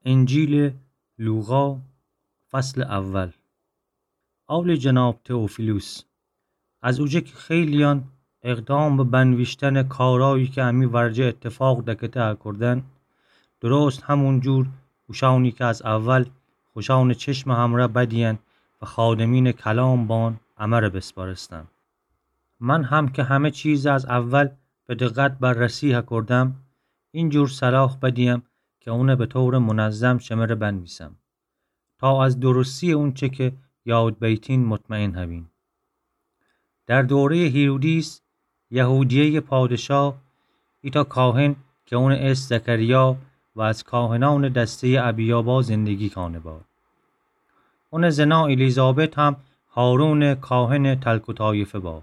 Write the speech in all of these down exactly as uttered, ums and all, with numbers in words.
انجیلٚ لوقا، فصلٚ اول. عالی جناب تئوفیلوس، از اوجه کی خیلییان اقدام به بنویشتنٚ کارایی کی امی ورجه ایتفاق دکته هکردن، درست همون جور اوشانی کی از اول خوشانٚ چشمٚ همرأ بدیین و خادمینٚ کلام بان امره بسپارستن. من هم کی همه چیز از اول به دقت بررسی هکردم، این جور صلاح بدیم کی اونه به طورٚ منظم شمره بنویسم، تا از درستییٚ اونچه کی یاد بیتین مطمئن هبین. در دورهیٚ هیرودیس، یهودیهیٚ پادشاه، ایتأ کاهن کی اونٚ اسم زکریا و از کاهنأنٚ دستهیٚ ابیابا زندگی کانه با. اونٚ زنا الیزابت هم هارونٚ کاهنٚ تلک و طایفه با.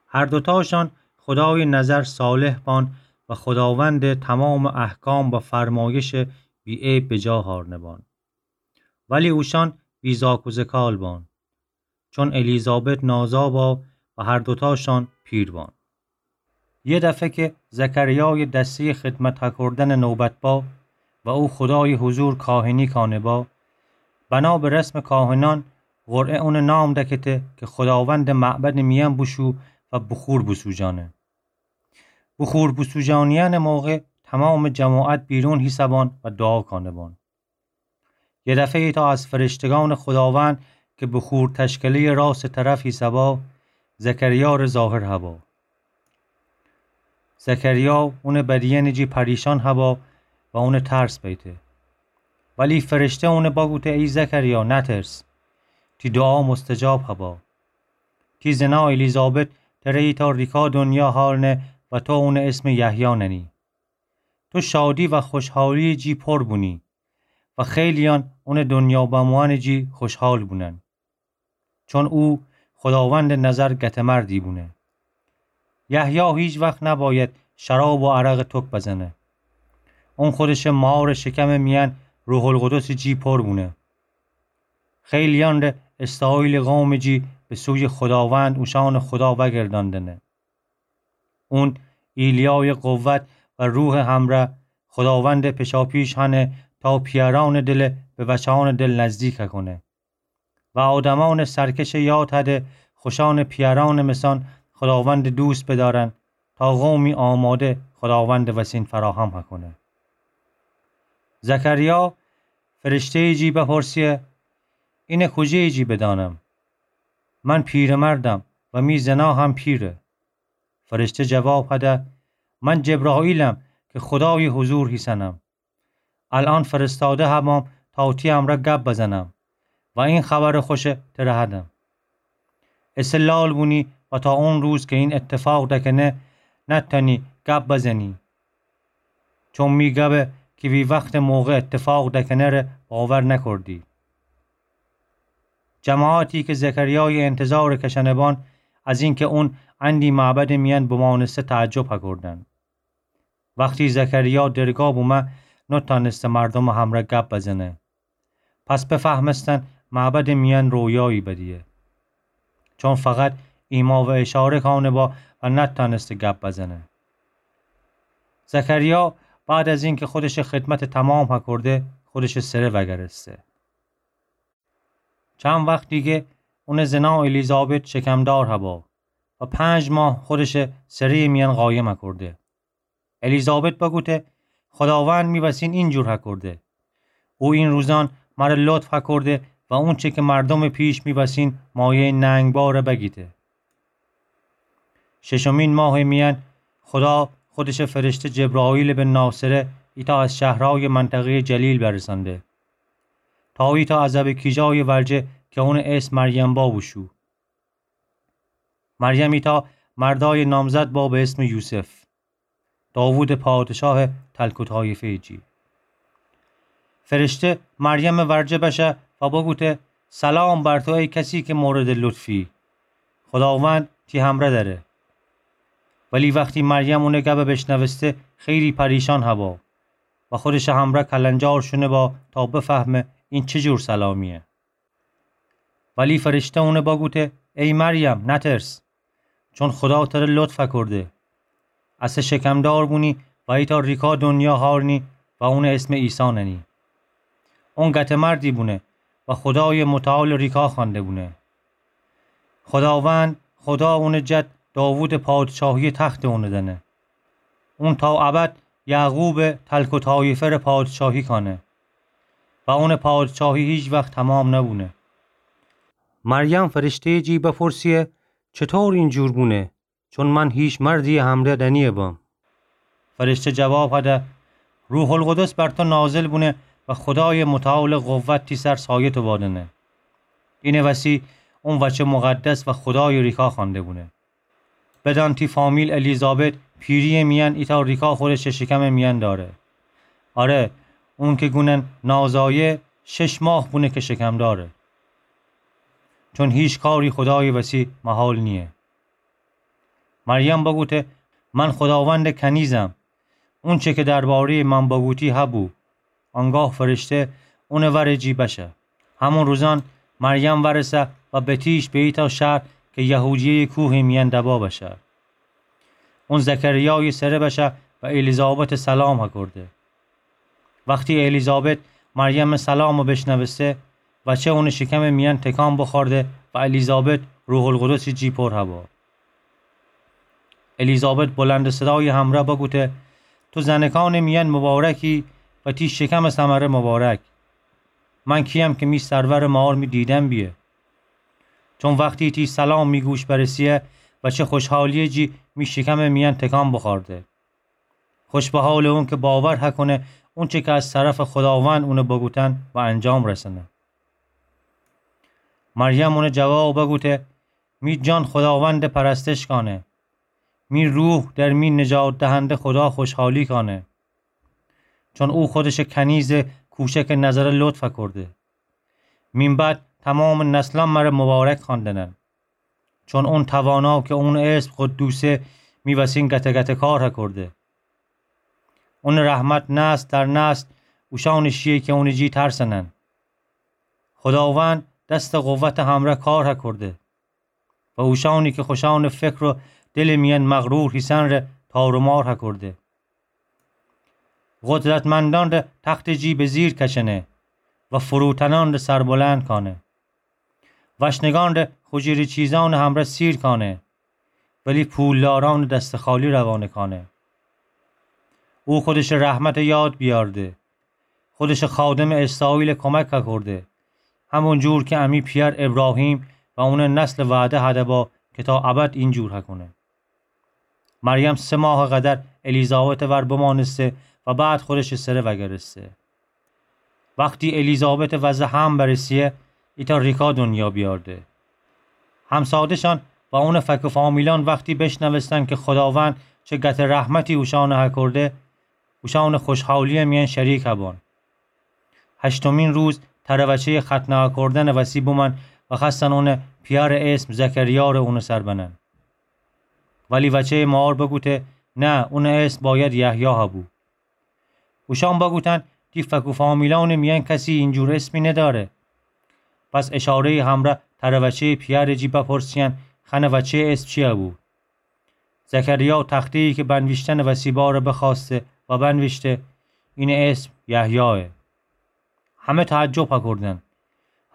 هر دوتاشان خودایٚ نظر صالح بان و خوداوندٚ تمامٚ احکام و فرمایشٚ بی‌عیب بجا هارنه بان. ولی اوشان بی‌زاک و زکال بان، چون الیزابت نازا با و هر دوتاشان پیر بان. یه دفه کی زکریایٚ دستهیٚ خدمت هکردنٚ نوبت با و او خودایٚ حضور کاهنی کانه با، بنا به رسمٚ کاهنأن قرعه اونٚ نام دکته کی خوداوندٚ معبدٚ میأن بوشو و بخور بوسوجأنه. بخور بوسوجانیأنٚ موقع تمامٚ جماعت بیرون هیسه بان و دوعا کانه بان. یه دفه ایتأ از فرشتگأنٚ خوداوند کی بخور تشکلهیٚ راستٚ طرف هیسه با، زکریاره ظاهر هبا. زکریا اونٚ بدیئنٚ جی پریشان هبا و اونه ترس بیته. ولی فرشته اونه بگوته: ای زکریا، نترس، تی دوعا مستجاب هبا. تی زنا الیزابت تره ایتأ ریکا دنیا هارنه و تو اونٚ اسم یحیی ننی. تو شادی و خوشحالی جی پر بونی و خیلیان اونٚ دنیا بموئنٚ جی خوشحال بونن، چون او خوداوندٚ نظر گته‌مردی بونه. یحیی هیچ وخت نباید شراب و عرقٚ تک بزنه. اون خودشٚ مارٚ شکمٚ میأن روح‌القدسٚ جی پر بونه. خیلیان ره اسرائیلٚ قومٚ جی به سویٚ خوداوند، اوشأنٚ خدا، وأگرداندنه. اون ایلیایٚ قوت و روحٚ همرأ خوداوندٚ پیشاپیش هنه تا پیأرأنٚ دله به وچأنٚ دل نزدیک هکونه و آدمأنٚ سرکشٚ یاد هده خوشأنٚ پیأرأنٚ مثأن خوداوندٚ دوست بدأرن تا قومی آماده خوداوندٚ وسین فراهم هکونه. زکریا فرشته‌یٚ جی بپرسه: اینه کوجه‌یٚ جی بدأنم؟ من پیره‌مردم و می زنا هم پیره. فرشته جواب هده: من جبرائیلم کی خودایٚ حضور هیسنم. الأن فرستاده هبام تا تی امرأ گب بزنم و این خبرٚ خوشه تره هدم. ایسه لال بونی و تا اون روز کی این ایتفاق دکنه نتأنی گب بزنی، چون می گبه کی وی وختٚ موقع ایتفاق دکنه ره باور نکردی. جماعتی کی زکریایٚ انتظارٚ کشأنه بان، از اینکی اون اندی معبدٚ میأن بمأنسته تعجب هکردن. وختی زکریا درگاه بومه، نتأنسته مردومٚ همرأ گب بزنه. پس بفهمستن معبدٚ میأن رویایی بدیه، چون فقط ایما و اشاره کأنه با و نتأنسته گب بزنه. زکریا بعد از اینکی خودشٚ خدمتٚ تمام هکرده، خودشٚ سره وأگرسته. چند وخت دیگه اونٚ زنا الیزابت شکمدار هبا و پنج ماه خودشٚ سره‌یٚ میأن قایم هکرده. الیزابت بگوته: خوداوند می وسین اینجور هکرده. او این روزأن مره لطف هکرده و اونچه کی مردومٚ پیش می وسین مایه‌یٚ ننگ باره بگیته. ششمین ماهٚ میأن خودا خودشٚ فرشته جبرائیل به ناصره، ایتأ از شهرأیٚ منطقه‌یٚ جلیل، برسأنده تا ایتأ عزبٚ کیجایٚ ورجه کی اونٚ اسم مریم با بوشو. مریم ایتأ مردایٚ نامزد با به اسمٚ یوسف، داوودٚ پادشاهٚ تلک و طایفه‌یٚ جی. فرشته مریمٚ ورجه بشه و بگوته: سلام بر تو ای کسی کی موردٚ لطفی، خوداوند تی همرأ دأره. ولی وختی مریم اونٚ گبه بیشنوسته، خیلی پریشان هبا و خودشٚ همرأ کلنجار شونه با تا بفهمه این چی جور سلامییه. ولی فرشته اونه بگوته: ای مریم، نترس، چون خودا تره لطف هکرده. اسه شکمدار بونی و ایتأ ریکا دنیا هارنی و اونٚ اسم عیسی ننی. اون گته مردی بونه و خودایٚ متعالٚ ریکا خوأنده بونه. خوداوند خدا اونٚ جد داوودٚ پادشاهیٚ تختٚ اونٚ دأنه. اون تا ابد یعقوبٚ تلک و طایفه‌ره پادشاهی کانه و اونٚ پادشاهی هیچ وخت تمام نبونه. مریم فرشته‌یٚ جی بپرسیه: چطور اینجور بونه؟ چون من هیچ مردییٚ همره دنیه بم. فرشته جواب هده: روح‌القدس بر تو نازل بونه و خودایٚ متعالٚ قوت تی سر سایه تو وادنه. اینٚ وسی اون وچه مقدس و خودایٚ ریکا خوأنده بونه. بدأن تی فامیل الیزابت پیرییٚ میأن ایتأ ریکا خورشٚ شکمٚ میأن داره. آره، اون که گونن نازایه، شش ماه بونه که شکم داره. چون هیچ کاری خودایٚ وسی محال نییه. مریم بگوته: من خوداوندٚ کنیزم، اونچه که درباره‌یٚ من بگوتی هبو. آنگاه فرشته اونٚ ورٚ جی بشه. همون روزأن مریم ورسه و بتیش به ایتأ شهر که یهودیه‌یٚ کوهٚ میأن دبا بشه. اون زکریایٚ سره بشه و الیزابتٚ سلام هکرده. وختی الیزابت مریمٚ سلامٚ بشنوسته، وچه اونٚ شکمٚ میأن تکان بخورده و الیزابت روح‌القدسٚ جی پر هبا. الیزابت بلندٚ صدایٚ همرأ بگوته: تو زنکانٚ میأن مبارکی و تی شکمٚ ثمره مبارک. من کییم که می سرورٚ مار می دیدن بیه؟ چون وختی تی سلام می گوش برسیه، وچه خوشحالییٚ جی می شکمٚ میأن تکان بخورده. خوش به حالٚ اون که باور هکونه اونچه که از طرفٚ خوداوند اونه بگوتن و انجام رسنه. مریم اونه جواب بگوته: می جان خوداوندٚ پرستش کانه. می روح در می نجات دهنده خودا خوشحالی کانه. چون او خودشٚ کنیزٚ کوچکٚ نظره لطف هکرده. مین بعد تمامٚ نسلأن مره مبارک خواندنن. چون اون توانا که اونٚ اسم قدوسه، می وسین گته گته کار هکرده. اونٚ رحمت نسل در نسل اوشأنٚ شیه که اونٚ جی ترسنن. خوداوند دستٚ قوتٚ همرأ کار هکرده و اوشأنی که خوشأنٚ فکر و دلٚ میأن مغرور هیسن ره تار و مار هکرده. قدرتمندأن ره تختٚ جی به زیر کشنه و فروتنأن ره سربلند کانه. وشنگأن ره خوجیره چیزأنٚ همرأ سیر کانه، ولی پولدارأنٚ دستٚ خالی روانه کانه. او خودشٚ رحمت یاد بیأرده. خودشٚ خادمٚ اسرائیل کمک هکرده، همون جور که امی پیأر ابراهیم و اونٚ نسل وعده هده با که تا ابد اینجور هکونه. مریم سه ماه قدر الیزابتٚ ور بمانسته و بعد خودشٚ سره وگرسته. وختی الیزابتٚ وضع حمل برسیه، ایتأ ریکا دنیا بیأرده. همسادشأن و اونٚ فک و فامیلأن وختی بشنوستن که خوداوند چه گته رحمتی اوشأنٚ هکرده، اوشأنٚ خوشحالییٚ میأن شریک هبان. هشتمین روز تره وچهیٚ ختنه هکردنٚ وسی بومأن و خوأستن اونٚ پیأرٚ اسم زکریا ره اونٚ سر بنن. ولی وچهیٚ مار بگوته: نه، اونٚ اسم باید یحیی هبو. اوشأن بگوتن: تی فک و فامیلأنٚ میأن کسی اینجور اسمی ندأره. پس اشارهیٚ همرأ تره وچهیٚ پیأرٚ جی بپرسیأن: خأنه وچهیٚ اسم چی هبو؟ زکریا تختهیی که بنویشتنٚ وسی باره بخوأسته و بنویشته: اینٚ اسم یحیایه. همه تعجب هکردن.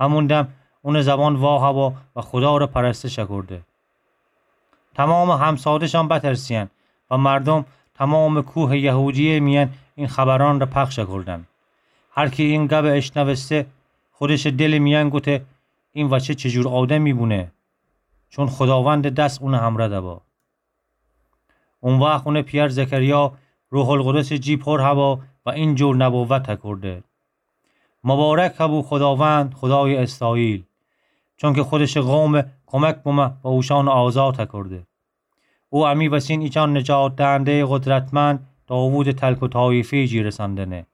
همون دم اونٚ زبان وا هبا و خودا ره پرستش هکرده. تومامٚ همسادشأن بترسیأن و مردوم تومامٚ کوهٚ یهودیه میأن این خبرأن ره پخش هکردن. هر کی این گبٚ اشنوسته، خودشٚ دلٚ میأن گوته: این وچه چی جور آدمی بونه؟ چون خوداوندٚ دس اونٚ همرأ دبا. او وخت اونٚ پیأر زکریا روح‌القدسٚ جی پر هبا و این جور نبوت هکرده: مبارک هبو خوداوند، خودایٚ اسرائیل، چونکه خودشٚ قوم کمک بومه و اوشأن آزاد هکرده. او امی وسین ایچأن نجات دهندهیٚ قدرتمند، داوودٚ تلک و طایفهیٚ جی رسندنه.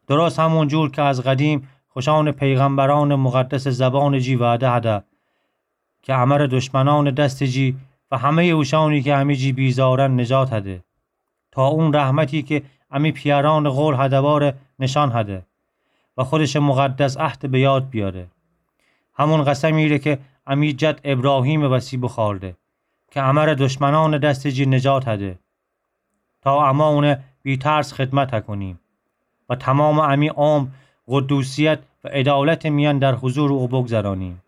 درست همون جور که از قدیم خوشأنٚ پیغمبرأنٚ مقدسٚ زبانٚ جی وعده هده، که امه ره دشمنأنٚ دستٚ جی و همهیٚ اوشأنی که امی جی بیزارن نجات هده، تا اون رحمتی که امی پیأرأنٚ قول هده واره نشأن هده و خودشٚ مقدس عهدٚ به یاد بیاره. همون قسمی ره که امی جد ابراهیمٚ وسی بوخوأرده، که امه ره دشمنأنٚ دستٚ جی نجات هده، تا اما اونه بی‌ترس خدمت هکونیم. و تومامٚ امی عمر قدوسیت و عدالتٚ میأن در حضورٚ او بگذرانیم.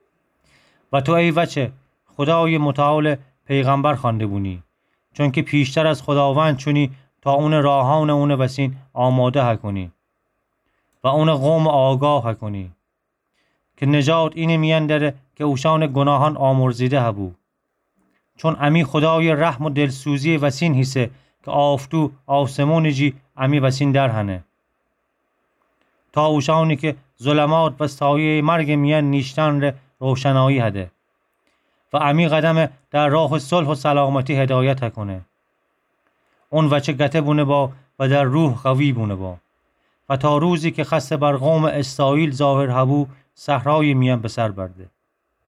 و تو ای وچه، خودایٚ متعالٚ پیغمبر خوأنده بونی، چونکه پیشتر از خوداوند چونی تا اونٚ راهأنٚ اونٚ وسین آماده هکونی و اونٚ قومٚ آگاه هکونی. که نجات اینه میأن دره که اوشأنٚ گوناهأن آمرزیده هبو. چون امی خودایٚ رحم و دلسوزییٚ وسین هیسه که آفتو آسمونٚ جی امی وسین درهنه، تا اوشأنی که ظلمات و سایه‌یٚ مرگٚ میأن نیشتن ره روشنایی هده و امی قدمه در راهٚ صلح و سلامتی هدایت هکونه. اون وچه گته بونه با و در روح قوی بونه با و تا روزی که خأسته بر قومٚ اسرائیل ظاهر هبو، صحرایٚ میأن به سر برده.